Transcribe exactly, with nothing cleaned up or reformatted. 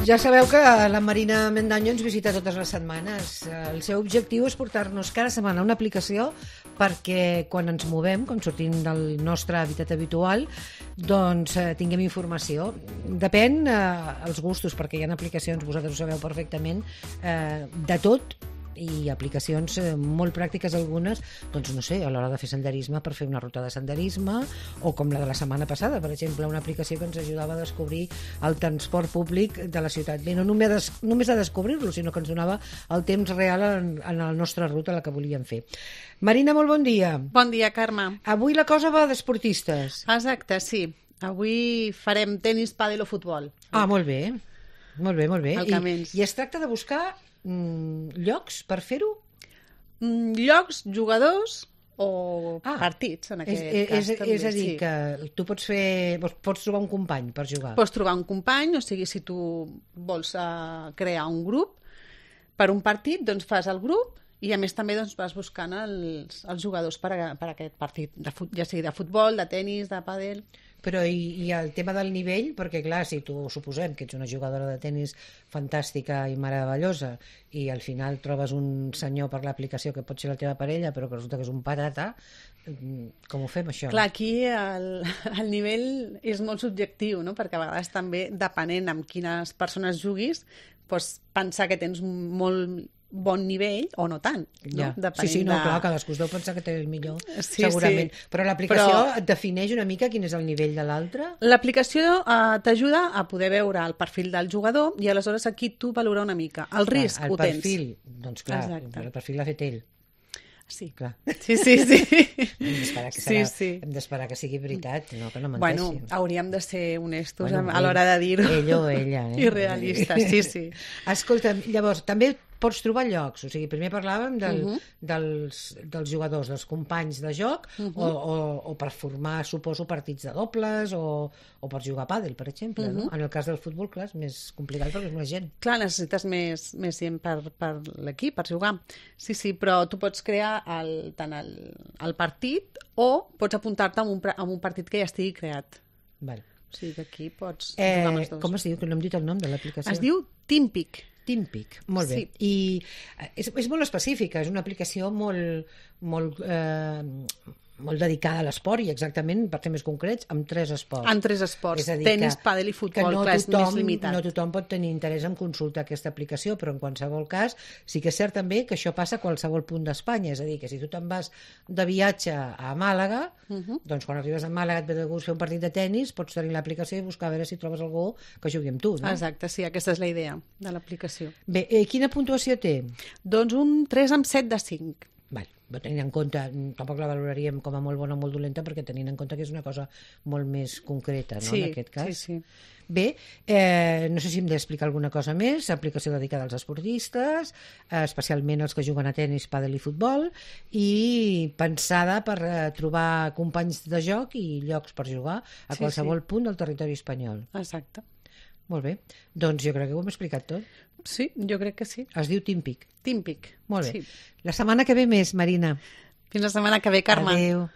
Ja sabeu que la Marina Mendaño ens visita totes les setmanes. El seu objectiu és portar-nos cada setmana una aplicació perquè quan ens movem, quan sortim del nostre hàbitat habitual, doncs eh, tinguem informació. Depèn eh, els gustos, perquè hi ha aplicacions, vosaltres ho sabeu perfectament, eh, de tot, i aplicacions eh, molt pràctiques algunes, doncs no sé, a l'hora de fer senderisme per fer una ruta de senderisme, o com la de la setmana passada, per exemple, una aplicació que ens ajudava a descobrir el transport públic de la ciutat. Bé, no només a, des només a descobrir-lo, sinó que ens donava el temps real en, en la nostra ruta, la que volíem fer. Marina, molt bon dia. Bon dia, Carme. Avui la cosa va d'esportistes. Exacte, sí. Avui farem tenis, pàdel o futbol. Ah, molt bé. Molt bé, molt bé. I, I es tracta de buscar mm, llocs per fer-ho? Mm, llocs, jugadors o ah, partits, en aquest és, cas. És, també, és a dir, sí. que tu pots fer, pots trobar un company per jugar. Pots trobar un company, o sigui, si tu vols uh, crear un grup per un partit, doncs fas el grup i a més també doncs, vas buscant els, els jugadors per, a, per a aquest partit, de fut, ja sigui de futbol, de tenis, de pàdel. Però i, i el tema del nivell, perquè clar, si tu suposem que ets una jugadora de tenis fantàstica i meravellosa i al final trobes un senyor per l'aplicació que pot ser la teva parella però que resulta que és un patata, com ho fem això? Clar, aquí el, el nivell és molt subjectiu, no? Perquè a vegades també, depenent amb quines persones juguis, pots pensar que tens molt bon nivell o no tant, no? Ja. Sí, sí, no, de... clar, cadascú es deu pensar que té el millor, sí, segurament. Sí. Però l'aplicació Però... et defineix una mica quin és el nivell de l'altre? L'aplicació eh, t'ajuda a poder veure el perfil del jugador i aleshores aquí tu valorar una mica. El clar, risc el ho tens. El perfil, doncs clar, exacte. El perfil l'ha fet ell. Sí. Clar. Sí, sí, sí. Hem d'esperar que, sí, serà, sí. hem d'esperar que sigui veritat, no que no menteixi. Bueno, hauríem de ser honestos bueno, a l'hora de dir-ho. Ell o ella. Eh? I realistes, sí, sí. Escolta, llavors, també pots trobar llocs, o sigui, primer parlàvem del, uh -huh. dels, dels jugadors, dels companys de joc, uh -huh. o, o, o per formar, suposo, partits de dobles, o, o per jugar a pàdel, per exemple, uh -huh. no? En el cas del futbol, clar, és més complicat perquè és més gent. Clar, necessites més, més gent per, per l'equip, per jugar. Sí, sí, però tu pots crear el, tant el, el partit o pots apuntar-te a un, a un partit que ja estigui creat. Val. O sigui que aquí pots eh, jugar amb els dos. Com es diu? Que no hem dit el nom de l'aplicació. Es diu Teampeak. Teampeak, molt bé. Sí. I és, és molt específica, és una aplicació molt, molt, eh, molt dedicada a l'esport i exactament, per ser més concrets, amb tres esports. En tres esports, és a dir, tenis, que, pàdel i futbol, no clar, tothom, és més limitat. No tothom pot tenir interès en consultar aquesta aplicació, però en qualsevol cas sí que és cert també que això passa a qualsevol punt d'Espanya, és a dir, que si tu te'n vas de viatge a Màlaga, uh -huh. doncs quan arribes a Màlaga et ve de gust fer un partit de tenis, pots tenir l'aplicació i buscar a veure si trobes algú que jugui amb tu, no? Exacte, sí, aquesta és la idea de l'aplicació. Bé, eh, quina puntuació té? Doncs un tres amb set de cinc. Vale, tenint en compte, tampoc la valoraríem com a molt bona o molt dolenta, perquè tenint en compte que és una cosa molt més concreta, no, sí, en aquest cas. Sí, sí. Bé, eh, no sé si hem d'explicar alguna cosa més, aplicació dedicada als esportistes, eh, especialment els que juguen a tenis, pàdel i futbol, i pensada per eh, trobar companys de joc i llocs per jugar a sí, qualsevol sí. punt del territori espanyol. Exacte. Molt bé, doncs jo crec que ho hem explicat tot. Sí, jo crec que sí. Es diu Teampeak. Teampeak. Molt bé. Sí. La setmana que ve més, Marina. Fins la setmana que ve, Carme. Adéu.